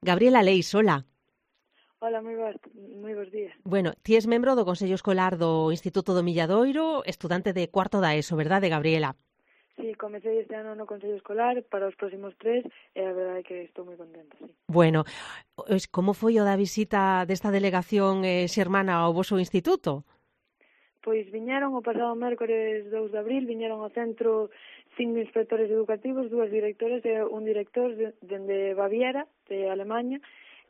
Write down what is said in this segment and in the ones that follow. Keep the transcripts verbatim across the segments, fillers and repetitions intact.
Gabriela Leis, hola. Hola, moi bons, moi bons días. Bueno, ti es membro do Consello Escolar do Instituto do Milladoiro, estudante de cuarto da ESO, verdade, Gabriela? Sí, comecei este ano no Consello Escolar para os próximos tres e a verdade é que estou moi contenta, sí. Bueno, como foi o da visita desta delegación eh, xermana ao voso instituto? Pois viñeron o pasado mércores dous de abril, viñeron ao centro cinco inspectores educativos, dúas directoras e un director de, dende Baviera, de Alemanha,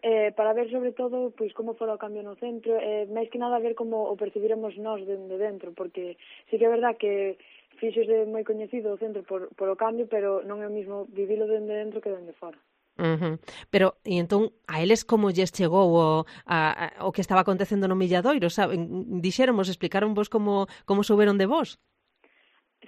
eh, para ver sobre todo pois como fora o cambio no centro, e eh, máis que nada ver como o percibiremos nós dende dentro, porque sí que é verdad que fíxose moi coñecido o centro por, por o cambio, pero non é o mismo vivilo dende dentro que dende fora. Uh-huh. Pero, e entón, a eles como lles chegou o, a, a, o que estaba acontecendo no Milladoiro, saben? Dixéramos, explicaron vos como, como souberon de vos?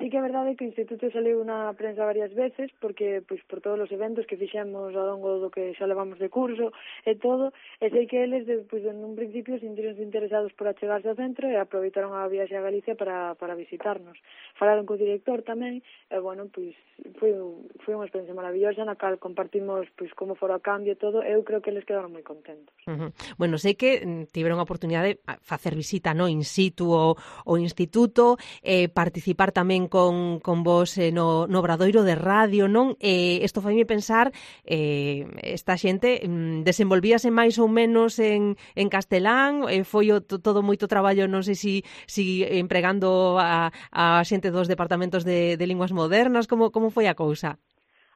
Sí que é verdade que o Instituto saliu na prensa varias veces porque, pois, por todos os eventos que fixemos ao longo do que xa levamos de curso e todo, e sei que eles, pois, en un principio sentironse interesados por achegarse ao centro e aproveitaron a viaxe a Galicia para, para visitarnos. Falaron co director tamén e, bueno, pois, foi, foi unha experiencia maravillosa na cal compartimos, pois, como fora o cambio e todo, e eu creo que eles quedaron moi contentos. Uh-huh. Bueno, sei que tiveron a oportunidade de facer visita, no, in situ ao, ao instituto, eh, participar tamén con, con vos eh, no, no obradoiro de radio, non? Eh, isto faime pensar, eh, esta xente mm, desenvolvíase máis ou menos en, en castelán, eh, foi o, todo moito traballo, non sei si, si empregando a, a xente dos departamentos de, de linguas modernas, como, como foi a cousa?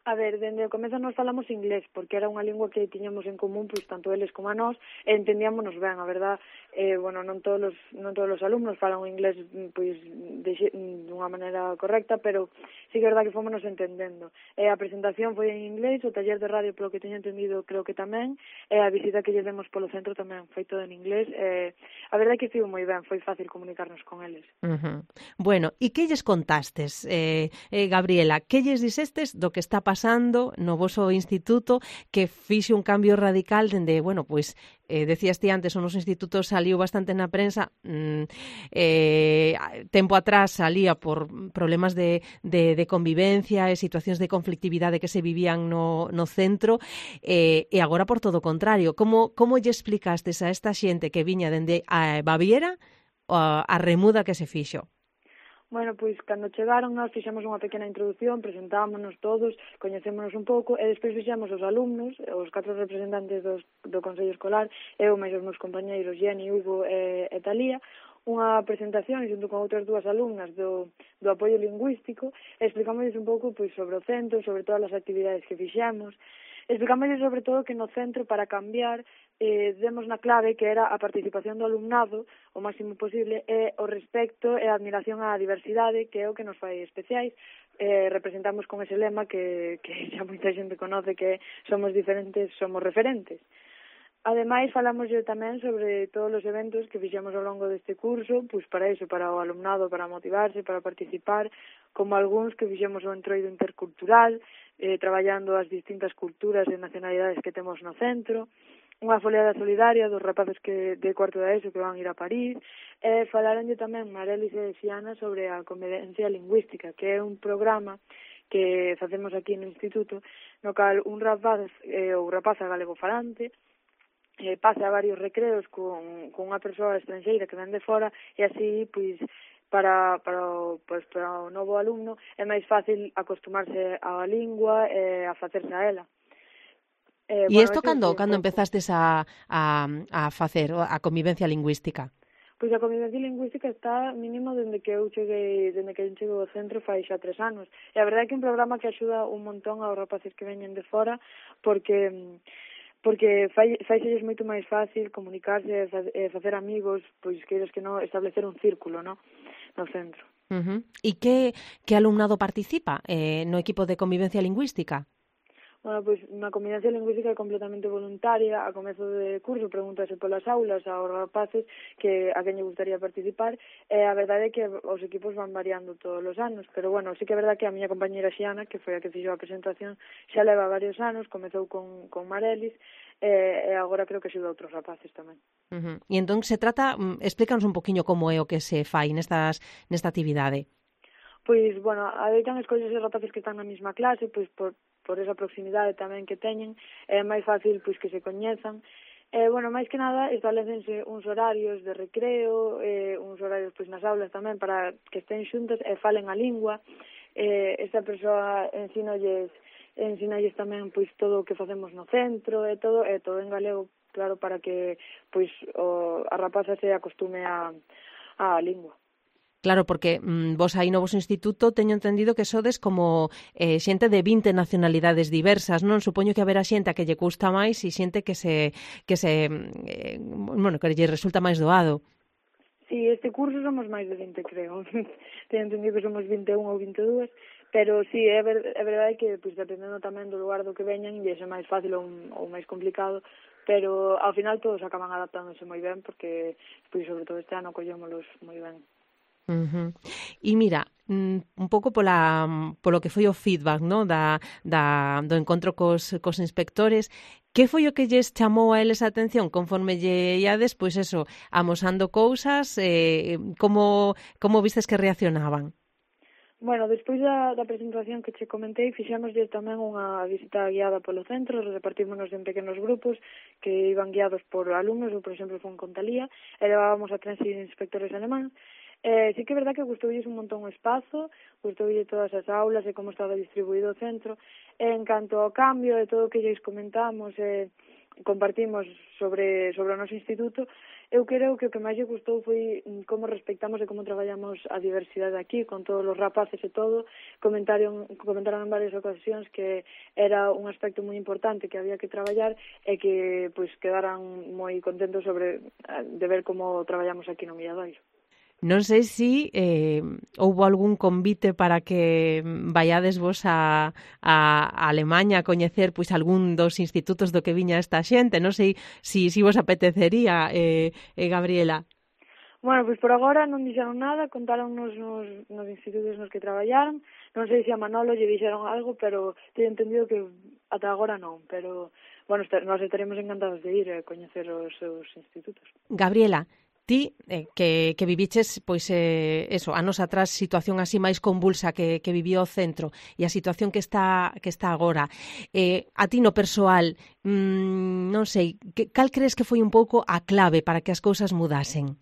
A ver, dende o comezo nos falamos inglés, porque era unha lingua que tiñamos en común, pois, tanto eles como a nós, e entendíamonos ben, a verdad, eh, bueno, non todos os, non todos os alumnos falan o inglés, pois, de, de unha maneira correcta, pero sí que é verdad que fomos entendendo. E a presentación foi en inglés, o taller de radio, polo que teño entendido, creo que tamén, e a visita que lle demos polo centro tamén foi todo en inglés, e a verdade é que estivo moi ben, foi fácil comunicarnos con eles. Uh-huh. Bueno, e que lles contastes, eh, eh, Gabriela? Que lles dixestes do que está pasando no voso instituto que fixe un cambio radical dende, bueno, pois, eh, decías ti antes, o noso instituto saliu bastante na prensa, mm, eh, tempo atrás salía por problemas de, de, de convivencia e situacións de conflictividade que se vivían no, no centro, eh, e agora por todo o contrario. Como, como lle explicastes a esta xente que viña dende a Baviera a, a remuda que se fixo? Bueno, pois, cando chegaron, nós fixemos unha pequena introducción, presentámonos todos, coñecémonos un pouco, e despois fixemos os alumnos, os catro representantes dos, do Consello Escolar, eu máis os meus compañeiros, Jenny, Hugo e, e Talía, unha presentación xunto con outras dúas alumnas do, do apoio lingüístico, e explicámosles un pouco pois, sobre o centro, sobre todas as actividades que fixemos, explicámosles sobre todo que no centro, para cambiar, eh, demos na clave que era a participación do alumnado o máximo posible e o respecto e a admiración á diversidade, que é o que nos fai especiais. Eh, representamos con ese lema que, que xa moita xente conoce, que somos diferentes, somos referentes. Ademais, falamos tamén sobre todos os eventos que fixemos ao longo deste curso, pois para iso, para o alumnado, para motivarse, para participar, como algúns que fixemos o entroido intercultural, eh, traballando as distintas culturas e nacionalidades que temos no centro, unha foliada solidaria dos rapaces que de cuarto da ESO que van ir a París, e falaronlle tamén Marelis e Xiana sobre a convivencia lingüística, que é un programa que facemos aquí no Instituto, no cal un rapaz eh, ou rapaza galegofalante eh, pasa varios recreos con, con unha persoa estranxeira que ven de fora, e así, pois, para, para, o, pues, para o novo alumno é máis fácil acostumarse á lingua e a facerse a ela. E Eh, isto bueno, cando, cando empezastes a, a, a facer a convivencia lingüística? Pois a convivencia lingüística está mínimo dende que eu cheguei, dende que eu cheguei ao centro fai xa tres anos. E a verdade é que é un programa que axuda un montón aos rapaces que veñen de fora, porque porque fai, faixelles moito máis fácil comunicarse e facer amigos, pois queiras que non, establecer un círculo, no, no centro. Uh-huh. E que, que alumnado participa eh, no equipo de convivencia lingüística? Bueno, pois na convivencia lingüística é completamente voluntaria. A comezo de curso pregúntase polas aulas aos rapaces que a quen lle gustaría participar, e a verdade é que os equipos van variando todos os anos, pero bueno, sí que é verdade que a miña compañeira Xiana, que foi a que fixo a presentación, xa leva varios anos, comezou con, con Marelis, e, e agora creo que axuda a outros rapaces tamén. Uh-huh. E entón se trata, explícanos un poquinho como é o que se fai nestas, nesta actividade. Pois, bueno, adoitan escollerse rapaces que están na mesma clase, pois por por esa proximidade tamén que teñen, é máis fácil pois que se coñezan. Eh, bueno, máis que nada establecense uns horarios de recreo, eh, uns horarios pois nas aulas tamén para que estén xuntas e falen a lingua. Eh, esta persoa ensinolles, ensinolles tamén pois todo o que facemos no centro e todo, e todo en galego, claro, para que pois o, a rapaza se acostume a, a lingua. Claro, porque mm, vos aí no vosso instituto teño entendido que sodes como eh, xente de vinte nacionalidades diversas, non? Supoño que haberá xente a que lle custa máis e xente que se que se eh, bueno, que lle resulta máis doado. Sí, este curso somos máis de vinte, creo. Teño entendido que somos vinte e un ou vinte e dúas, pero sí, é, ver, é verdade que pois, dependendo tamén do lugar do que veñan, lle é máis fácil ou, ou máis complicado, pero ao final todos acaban adaptándose moi ben, porque pois, sobre todo este ano collémolos moi ben. Uh-huh. E mira, un pouco pola, polo que foi o feedback, no? da, da, do encontro cos, cos inspectores, que foi o que lles chamou a eles a atención conforme lle iades, pois eso, amosando cousas, eh, como, como vistes que reaccionaban? Bueno, despois da, da presentación que che comentei, fixémoslle tamén unha visita guiada polo centro, repartímonos en pequenos grupos que iban guiados por alumnos, ou por exemplo fun con Talía, e levábamos a tres inspectores alemán. Eh, sí que é verdad que gustoulles un montón o espazo, gustoulles todas as aulas e como estaba distribuído o centro. E en canto ao cambio e todo o que lles comentamos e eh, compartimos sobre, sobre o noso instituto, eu creo que o que máis lle gustou foi como respectamos e como traballamos a diversidade aquí, con todos os rapaces e todo. Comentaron, comentaron en varias ocasións que era un aspecto moi importante que había que traballar e que pois quedaran moi contentos sobre de ver como traballamos aquí no Milladoiro. Non sei se eh, houbo algún convite para que vaiades vos a, a, a Alemanha a coñecer pois algún dos institutos do que viña esta xente. Non sei se si, si vos apetecería, eh, eh, Gabriela. Bueno, pois por agora non dixeron nada, contaron nos, nos, nos institutos nos que traballaron. Non sei se a Manolo lle dixeron algo, pero teño entendido que ata agora non. Pero, bueno, nós estaremos encantados de ir a coñecer os seus institutos. Gabriela, ti, eh, que, que viviches, pois, eh, eso, anos atrás, situación así máis convulsa que, que vivió o centro e a situación que está que está agora, eh, a ti no persoal, mmm, non sei, que, cal crees que foi un pouco a clave para que as cousas mudasen?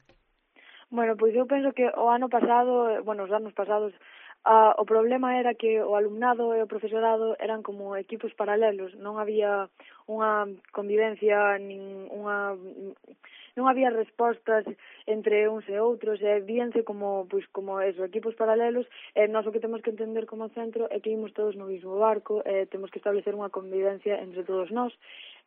Bueno, pois eu penso que o ano pasado, bueno, os anos pasados, Uh, o problema era que o alumnado e o profesorado eran como equipos paralelos, non había unha convivencia, nin unha, non había respostas entre uns e outros, e víanse como, pois, como eso, equipos paralelos, e nós o que temos que entender como centro é que imos todos no mesmo barco, e temos que establecer unha convivencia entre todos nós.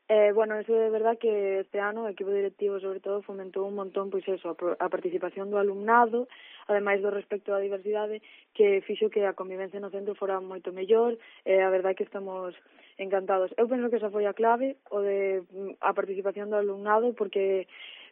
Eh, bueno, eso é verdad que este ano o equipo directivo sobre todo fomentou un montón pois eso, a participación do alumnado, ademais do respecto á diversidade, que fixo que a convivencia no centro fora moito mellor, e a verdad que estamos encantados. Eu penso que esa foi a clave, o de a participación do alumnado, porque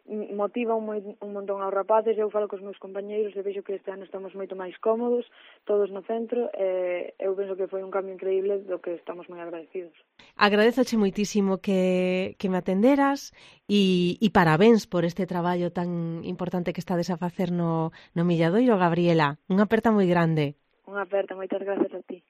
motiva un, moi, un montón aos rapaces. Eu falo cos meus compañeiros e vexo que este ano estamos moito máis cómodos, todos no centro, e eu penso que foi un cambio increíble do que estamos moi agradecidos. Agradezoche moitísimo que, que me atenderas e, e parabéns por este traballo tan importante que estades a facer no, no Milladoiro, Gabriela. Unha aperta moi grande. Unha aperta, moitas gracias a ti.